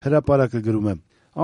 Հրապարակը գրում է.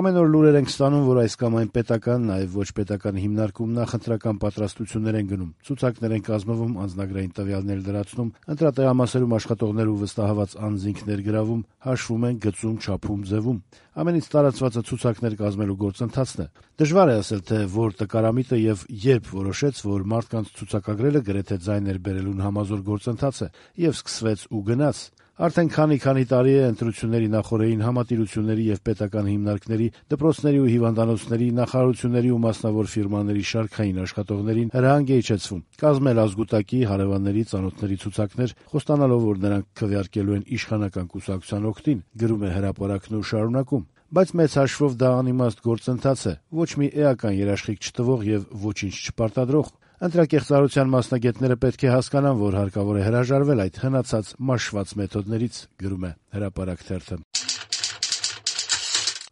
Ամեն օր լուրեր ենք ստանում, որ այս կամ այն պետական, նաև ոչ պետական հիմնարկում նախընտրական պատրաստություններ են գնում, ցուցակներ են կազմվում, անձնագրային տվյալներ լրացնում, ընտրատեղամասերում աշխատողներ ու վստահված անձինք ներգրավում, հաշվում են, գծում, չափում, ձևում։ Ամենից տարածվածը ցուցակներ կազմելու գործընթացն է։ Դժվար է ասել, թե որ տկարամիտը եւ երբ որոշեց, որ մարդկանց ցուցակագրելը գրեթե ձայն էր բերելուն համազոր գործընթաց է, եւ սկսվեց ու գնաց։ Արդեն քանի տարի է ընտրությունների նախօրեին համատիրությունների եւ պետական հիմնարկների, դպրոցների ու հիվանդանոցների, նախարարությունների ու մասնավոր ֆիրմաների շարքային աշխատողներին հրահանգ է իջեցվում կազմել ազգուտակի, հարևանների, ծանոթների ցուցակներ, խոստանալով, որ նրանք քվեարկելու են իշխանական կուսակցության օգտին, գրում է հրապարակն ու շարունակում։ Բայց մեծ հաշվով դա անիմաստ գործընթաց է, ոչ մի էական երաշխիք չտվող եւ ոչինչ չպարտադրող։ Ընտրակեղծարարության մասնագետները պետք է հասկանան, որ հարկավոր է հրաժարվել այդ հնացած մաշված մեթոդներից, գրում է հրապարակ թերթը։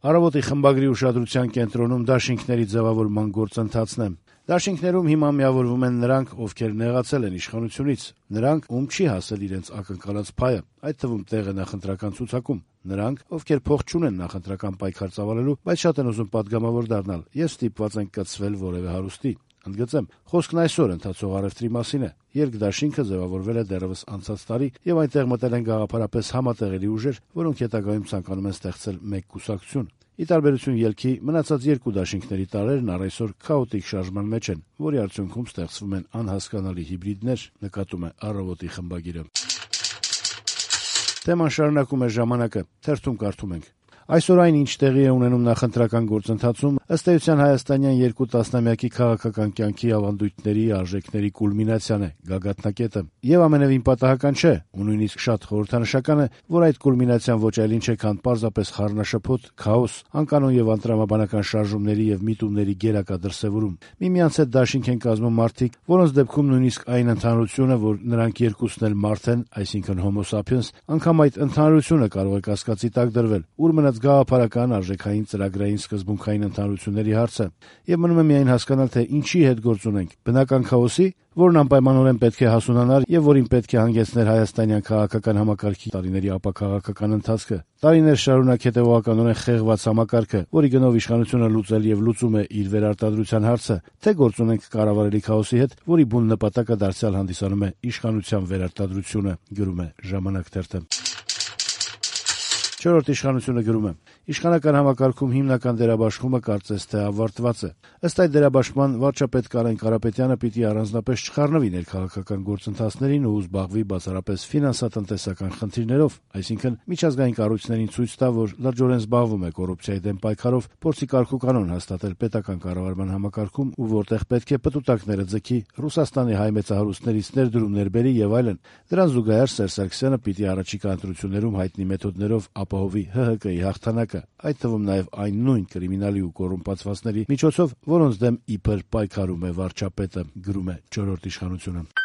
Առավոտի խմբագրի ուշադրության կենտրոնում դաշինքների ձևավորման գործընթացն է։ Դաշինքներում հիմա միավորվում են նրանք, ովքեր նեղացել են իշխանությունից, նրանք, ում չի հասել իրենց ակնկալած փայը, այդ թվում տեղը նախընտրական ցուցակում, նրանք, ովքեր փող չունեն նախընտրական պայքար ծավալելու, բայց շատ են ուզում պատգամավոր դառնալ եւ ստիպված են կցվել որևէ հարուստի։ Ընդգծեմ, խոսքն այսօր ընթացող առևտրի մասին է։ Երկդաշինքը ձևավորվել է դեռևս անցած տարի եւ այնտեղ մտել են գաղափարապես համատեղելի ուժեր, որոնք հետագայում ցանկանում են ստեղծել մեկ կուսակցություն։ Ի տարբերություն ելքի, մնացած երկու դաշինքների տարրերն առ այսօր քաոտիկ շարժման մեջ են, որի արդյունքում ստեղծվում են անհասկանալի հիբրիդներ, նկատում է Առավոտի խմբագիրը։ Թեման շարունակում է Ժամանակը, թերթում կարդում ենք. Այսօր այն, ինչ տեղի է ունենում նախընտրական գործընթացում, ըստ էության հայաստանյան երկու տասնամյակի քաղաքական կյանքի ավանդույթների, արժեքների կուլմինացիան է, գագաթնակետը։ Եվ ամենևին պատահական չէ, ու նույնիսկ շատ խորհրդանշական է, որ այդ կուլմինացիան ոչ այլ ինչ է, քան պարզապես խառնաշփոթ, քաոս, անկանոն եւ անտրամաբանական շարժումների եւ միտումների գերակա դրսեւորում։ Միմյանց հետ դաշինք են կազմում մարդիկ, որոնց դեպքում նույնիսկ այն ընդհանրությունը, որ նրանք երկուսն էլ մարդ են, այսինքն Homo sapiens, անգամ այդ ընդհանրությունը կարող է կասկածի տակ դրվել, ուր մնաց գաղափարական, արժեքային, ծրագրային, սկզբունքային ընդհանրությունների հարցը, եւ մնում է միայն հասկանալ, թե ինչի հետ գործ ունենք՝ բնական քաոսի, որն անպայմանորեն պետք է հասունանար եւ որին պետք է հանգեցներ հայաստանյան քաղաքական համակարգի տարիների ապաքաղաքական ընթացքը, տարիներ շարունակ հետեւողականորեն խեղված համակարգը, որի գնով իշխանությունը լուծել եւ լուծում է իր վերարտադրության հարցը, թե գործ ունենք կառավարելի քաոսի հետ, որի բուն նպատակը դարձյալ հանդիսանում է իշխանության վերարտադրությունը, գրում է Ժամանակ թերթը։ Չորրորդ իշխանությունը գրում է. Իշխանական համակարգում հիմնական դերաբաշխումը կարծես թե ավարտված է։ Ըստ այդ դերաբաշխման վարչապետ Կարեն Կարապետյանը պիտի առանձնապես չխառնվի ներքաղաքական գործընթացներին ու զբաղվի բացառապես ֆինանսատնտեսական խնդիրներով, այսինքն միջազգային կառույցներին ցույց տա, որ լրջորեն զբաղվում է կոռուպցիայի դեմ պայքարով, փորձի կարգուկանոն հաստատել պետական կառավարման համակարգում ու որտեղ պետք է պտուտակները ձգի, Ռուսաստանի հայ մեծահարուստներից ներդրումներ բերի եւ այլն։ Դրան զուգահեռ Սերժ Սարգսյանը պիտի առաջիկա ընտրություններում հայտնի մեթոդներով ապահովի ՀՀԿ-ի հաղթանակը, այդ թվում նաև այն նույն կրիմինալի ու կոռումպացվածների միջոցով, որոնց դեմ իբր պայքարում է վարչապետը, գրում է Չորրորդ իշխանությունը։